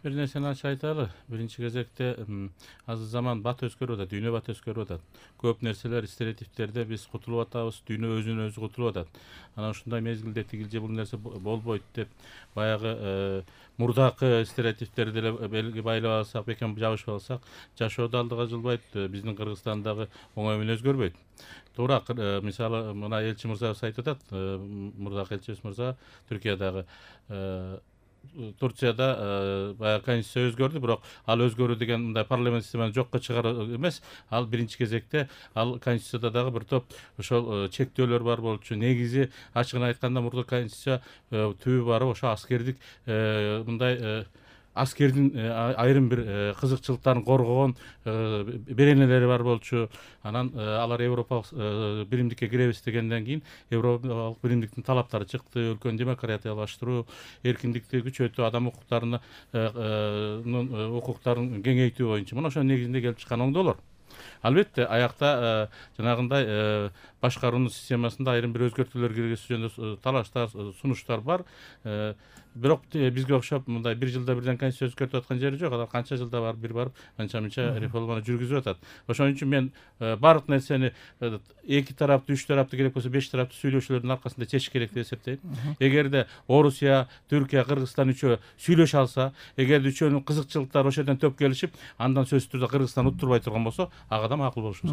Бир нерсени ачык айталы. Биринчи кезекте азыр заман бат өзгөрүп атат, дүйнө бат өзгөрүп атат. Көп нерселер, стереотиптерден биз кутулуп атабыз, дүйнө өзүнөн өзү кутулуп атат. Анан ушундай мезгилде тигил же бул нерсе болбойт деп баягы мурдакы стереотиптерди деле белги байлап алсак, бекем жабышып алсак, жашоо да алдыга жылбайт, биздин Кыргызстандагы оңой менен өзгөрбөйт. Туура, мисалы мына элчи мырзабыз айтып атат, мурдакы элчибиз мырза Түркиядагы Турцияда баягы конституция өзгөрдү, бирок ал өзгөрүү деген мындай парламент системаны жокко чыгаруу эмес. Ал биринчи кезекте ал конституцияда дагы бир топ ошол чектөөлөр бар болчу. Негизи ачыгын айтканда мурда конституция түбү барып ошо аскердик мындай аскердин айрым бир кызыкчылыктарын коргогон беренелери бар болчу. Анан алар европалык биримдикке киребиз дегенден кийин европалык биримдиктин талаптары чыкты. Өлкөнү демократиялаштыруу, эркиндикти күчөтүү, адам укуктарын кеңейтүү боюнча мына ошонун негизинде келип чыккан оңдоолор. Албетте аякта жанагындай башкаруунун системасында айрым бир өзгөртүүлөр киргизүү жөнүндө талаштар, сунуштар бар. Бирок бизге окшоп мындай бир жылда бирден конституция өзгөртүп аткан жери жок. Алар канча жылда бир барып анча мынча реформаны жүргүзүп атат. Ошон үчүн мен баардык нерсени эки тараптуу, үч тараптуу, керек болсо беш тараптуу сүйлөшүүлөрдүн аркасында чечиш керек деп эсептейм. Эгерде Орусия, Түркия, Кыргызстан үчөө сүйлөшө алса, эгерде үчөөнүн кызыкчылыктары ошол жерден төп келишип, андан сөзсүз түрдө Кыргызстан уттурбай турган болсо, ага да макул болушубуз